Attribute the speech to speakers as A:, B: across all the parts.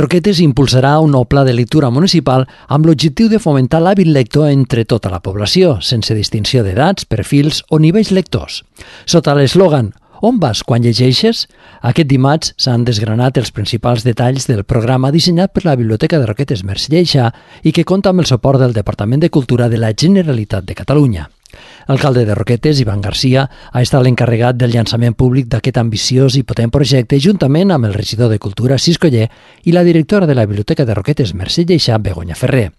A: Roquetes impulsarà un nou pla de lectura municipal amb l'objectiu de fomentar l'hàbit lector entre tota la població, sense distinció d'edats, perfils o nivells lectors. Sota l'eslògan "On vas quan llegeixes?", aquest dimarts s'han desgranat els principals detalls del programa dissenyat per la Biblioteca de Roquetes Mercè Lleixà i que compta amb el suport del Departament de Cultura de la Generalitat de Catalunya. L'alcalde de Roquetes, Ivan Garcia, ha estat l'encarregat del llançament públic d'aquest ambiciós i potent projecte juntament amb el regidor de Cultura, Cisco Ller, i la directora de la Biblioteca de Roquetes Mercè Lleixà, Begoña Ferrer.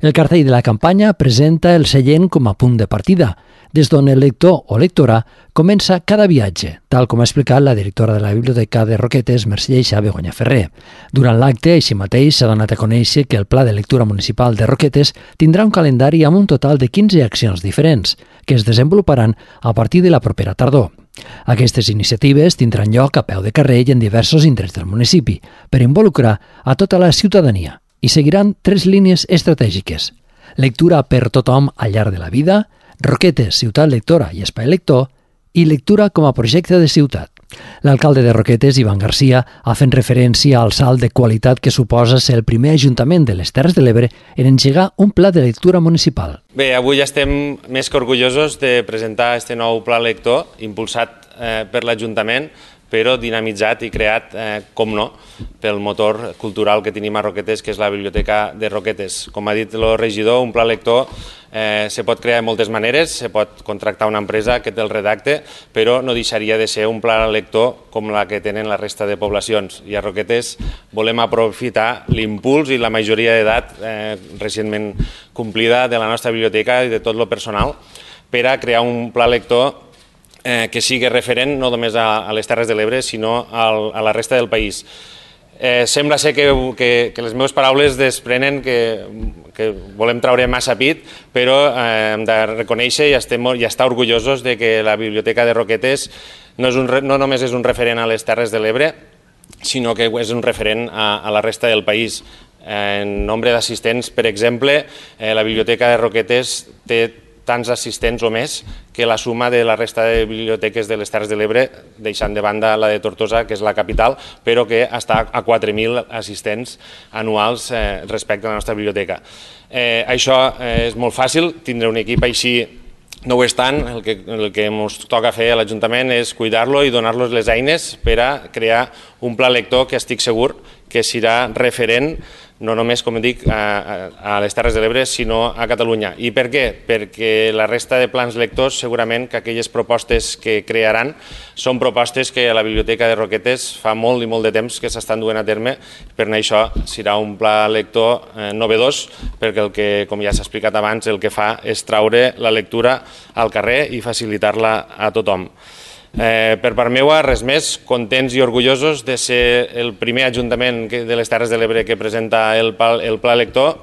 A: El cartell de la campanya presenta el seient com a punt de partida, des d'on el lector o lectora comença cada viatge, tal com ha explicat la directora de la Biblioteca de Roquetes Mercè Lleixà, Begoña Ferrer. Durant l'acte, així mateix, s'ha donat a conèixer que el Pla de Lectura Municipal de Roquetes tindrà un calendari amb un total de 15 accions diferents, que es desenvoluparan a partir de la propera tardor. Aquestes iniciatives tindran lloc a peu de carrer i en diversos indrets del municipi, per involucrar a tota la ciutadania, i seguiran 3 línies estratègiques: lectura per tothom al llarg de la vida, Roquetes, ciutat lectora i espai lector, i lectura com a projecte de ciutat. L'alcalde de Roquetes, Ivan Garcia, ha fet referència al salt de qualitat que suposa ser el primer ajuntament de les Terres de l'Ebre en engegar un pla de lectura municipal.
B: Bé, avui estem més que orgullosos de presentar aquest nou pla lector impulsat per l'Ajuntament, però dinamitzat i creat, com no, pel motor cultural que tenim a Roquetes, que és la Biblioteca de Roquetes. Com ha dit el regidor, un pla lector se pot crear de moltes maneres, se pot contractar una empresa que te'l redacte, però no deixaria de ser un pla lector com la que tenen la resta de poblacions. I a Roquetes volem aprofitar l'impuls i la majoria d'edat recentment complida de la nostra biblioteca i de tot el personal per a crear un pla lector que sigui referent no només a les Terres de l'Ebre, sinó a la resta del país. Sembla ser que les meves paraules desprenen que volem traure massa pit, però hem de reconèixer i estar orgullosos de que la Biblioteca de Roquetes no només és un referent a les Terres de l'Ebre, sinó que és un referent a la resta del país. En nombre d'assistents, per exemple, la Biblioteca de Roquetes té tants assistents o més que la suma de la resta de biblioteques de les Terres de l'Ebre, deixant de banda la de Tortosa, que és la capital, però que està a 4.000 assistents anuals respecte a la nostra biblioteca. Això és molt fàcil, tindre un equip així no ho és tant, el que ens toca fer a l'Ajuntament és cuidar-lo i donar-los les eines per a crear un pla lector que estic segur que serà referent no només, com dic, a les Terres de l'Ebre, sinó a Catalunya. I per què? Perquè la resta de plans lectors, segurament que aquelles propostes que crearan són propostes que a la Biblioteca de Roquetes fa molt i molt de temps que s'estan duent a terme. Per això serà un pla lector novedós, perquè el que, com ja s'ha explicat abans, el que fa és traure la lectura al carrer i facilitar-la a tothom. Per part meva, res més, contents i orgullosos de ser el primer ajuntament de les Terres de l'Ebre que presenta el pla lector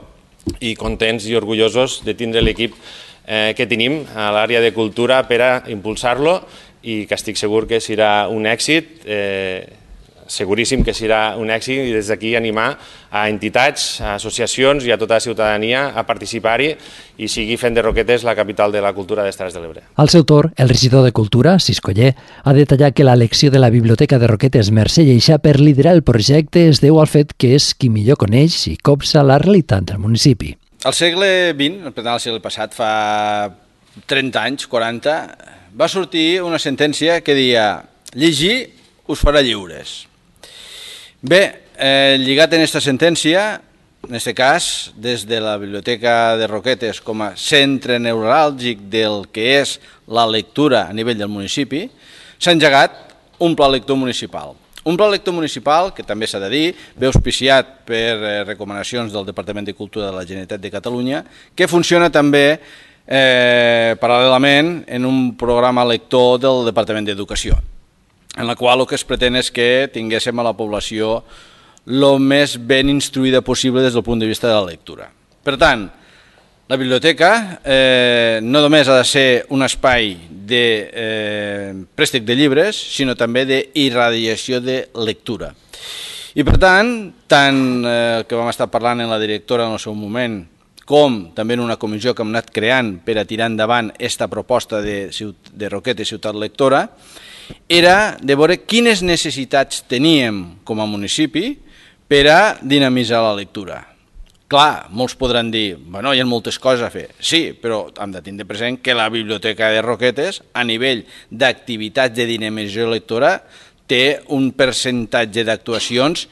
B: i contents i orgullosos de tindre l'equip que tenim a l'àrea de cultura per a impulsar-lo i que estic segur que serà un èxit, seguríssim que serà un èxit, i des d'aquí animar a entitats, a associacions i a tota la ciutadania a participar-hi i seguir fent de Roquetes la capital de la cultura de les Terres de l'Ebre.
A: Al seu torn, el regidor de Cultura, Cisco Ller, ha detallat que l'elecció de la Biblioteca de Roquetes Mercè Lleixà per liderar el projecte es deu al fet que és qui millor coneix i copsa la realitat del municipi.
C: Al segle XX, per tant al segle passat, fa 30 anys, 40, va sortir una sentència que deia «Llegir us farà lliures». Bé, lligat en aquesta sentència, en aquest cas, des de la Biblioteca de Roquetes com a centre neuràlgic del que és la lectura a nivell del municipi, s'ha engegat un pla lector municipal. Un pla lector municipal, que també s'ha de dir, ve auspiciat per recomanacions del Departament de Cultura de la Generalitat de Catalunya, que funciona també paral·lelament en un programa lector del Departament d'Educació, en la qual el que es pretén és que tinguéssim a la població el més ben instruïda possible des del punt de vista de la lectura. Per tant, la biblioteca no només ha de ser un espai de préstec de llibres, sinó també d'irradiació de lectura. I per tant, tant que vam estar parlant amb la directora en el seu moment, com també en una comissió que hem anat creant per a tirar endavant aquesta proposta de Roquetes Ciutat Lectora, era de veure quines necessitats teníem com a municipi per a dinamitzar la lectura. Clar, molts podran dir, bueno, hi ha moltes coses a fer. Sí, però hem de tindre present que la Biblioteca de Roquetes, a nivell d'activitats de dinamització lectora, té un percentatge d'actuacions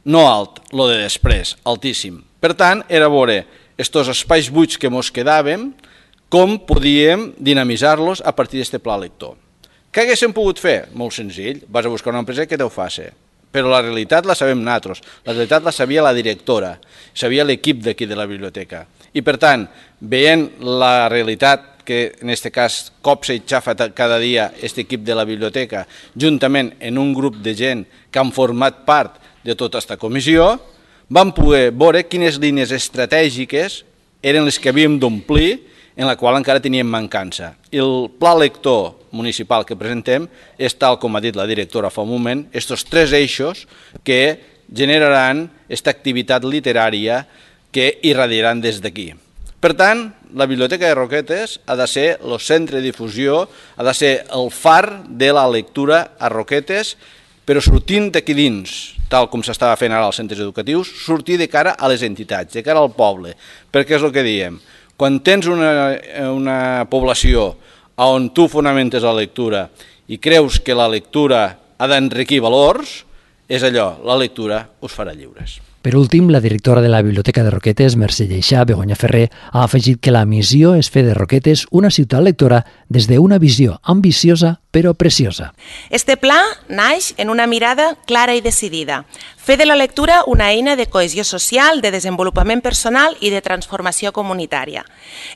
C: no alt, lo de després, altíssim. Per tant, era veure estos espais buits que mos quedàvem, com podíem dinamitzar-los a partir d'aquest pla lector. Què haguéssim pogut fer? Molt senzill, vas a buscar una empresa que t'ho faci. Però la realitat la sabem nosaltres, la realitat la sabia la directora, sabia l'equip d'aquí de la biblioteca. I per tant, veient la realitat que en aquest cas copsa i xafa cada dia aquest equip de la biblioteca, juntament en un grup de gent que han format part de tota aquesta comissió, vam poder veure quines línies estratègiques eren les que havíem d'omplir, en la qual encara teníem mancança. I el pla lector municipal que presentem és, tal com ha dit la directora fa un moment, aquests 3 eixos que generaran aquesta activitat literària que irradiaran des d'aquí. Per tant, la Biblioteca de Roquetes ha de ser el centre de difusió, ha de ser el far de la lectura a Roquetes, però sortint d'aquí dins, tal com s'estava fent ara als centres educatius, sortir de cara a les entitats, de cara al poble, perquè és el que diem. Quan tens una població on tu fonamentes la lectura i creus que la lectura ha d'enriquir valors, és allò, la lectura us farà lliures.
A: Per últim, la directora de la Biblioteca de Roquetes, Mercè Lleixà, Begoña Ferrer, ha afegit que la missió és fer de Roquetes una ciutat lectora des d'una visió ambiciosa però preciosa.
D: Este pla naix en una mirada clara i decidida. Fer de la lectura una eina de cohesió social, de desenvolupament personal i de transformació comunitària.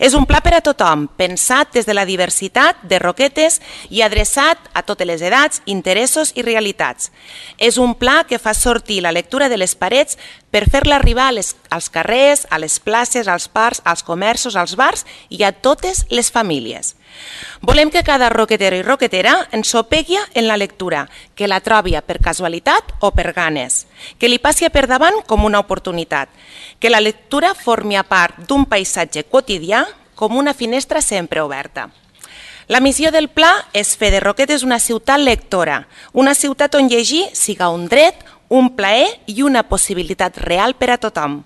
D: És un pla per a tothom, pensat des de la diversitat de Roquetes i adreçat a totes les edats, interessos i realitats. És un pla que fa sortir la lectura de les parets per fer-la arribar als carrers, a les places, als parcs, als comerços, als bars i a totes les famílies. Volem que cada roquetero i roquetera ensopegui en la lectura, que la trobi per casualitat o per ganes, que li passi per davant com una oportunitat, que la lectura formi part d'un paisatge quotidià com una finestra sempre oberta. La missió del pla és fer de Roquetes una ciutat lectora, una ciutat on llegir siga un dret, un plaer i una possibilitat real per a tothom.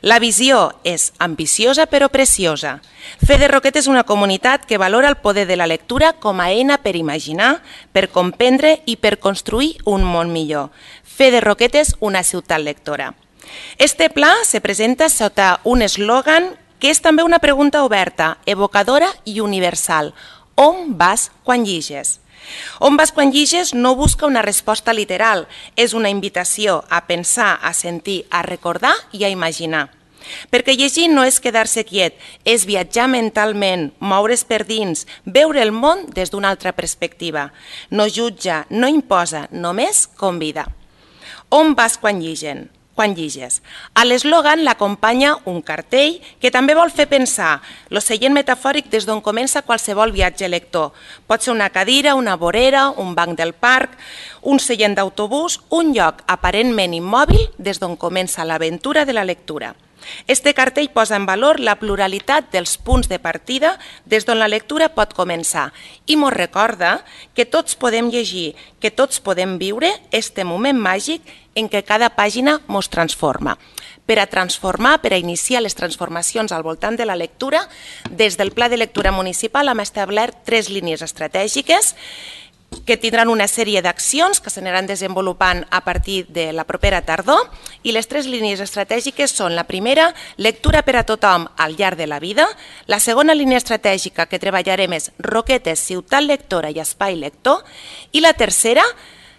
D: La visió és ambiciosa però preciosa. Fer de Roquetes una comunitat que valora el poder de la lectura com a eina per imaginar, per comprendre i per construir un món millor. Fer de Roquetes una ciutat lectora. Este pla se presenta sota un eslògan que és també una pregunta oberta, evocadora i universal. On vas quan lliges? On vas quan lliges no busca una resposta literal, és una invitació a pensar, a sentir, a recordar i a imaginar. Perquè llegir no és quedar-se quiet, és viatjar mentalment, moure's per dins, veure el món des d'una altra perspectiva. No jutja, no imposa, només convida. On vas quan lliges? A l'eslògan l'acompanya un cartell que també vol fer pensar l'oceient metafòric des d'on comença qualsevol viatge lector. Pot ser una cadira, una vorera, un banc del parc, un seient d'autobús, un lloc aparentment immòbil des d'on comença l'aventura de la lectura. Este cartell posa en valor la pluralitat dels punts de partida des d'on la lectura pot començar i mos recorda que tots podem llegir, que tots podem viure este moment màgic en què cada pàgina mos transforma. Per a transformar, per a iniciar les transformacions al voltant de la lectura, des del Pla de Lectura Municipal hem establert 3 línies estratègiques que tindran una sèrie d'accions que s'aniran desenvolupant a partir de la propera tardor i les 3 línies estratègiques són la primera, lectura per a tothom al llarg de la vida, la segona línia estratègica que treballarem és Roquetes, ciutat lectora i espai lector i la tercera,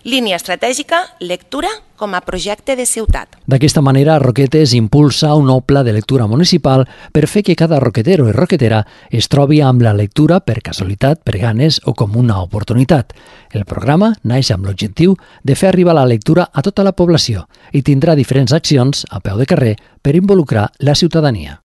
D: línia estratègica, lectura com a projecte de ciutat.
A: D'aquesta manera, Roquetes impulsa un nou pla de lectura municipal per fer que cada roquetero i roquetera es trobi amb la lectura per casualitat, per ganes o com una oportunitat. El programa naix amb l'objectiu de fer arribar la lectura a tota la població i tindrà diferents accions a peu de carrer per involucrar la ciutadania.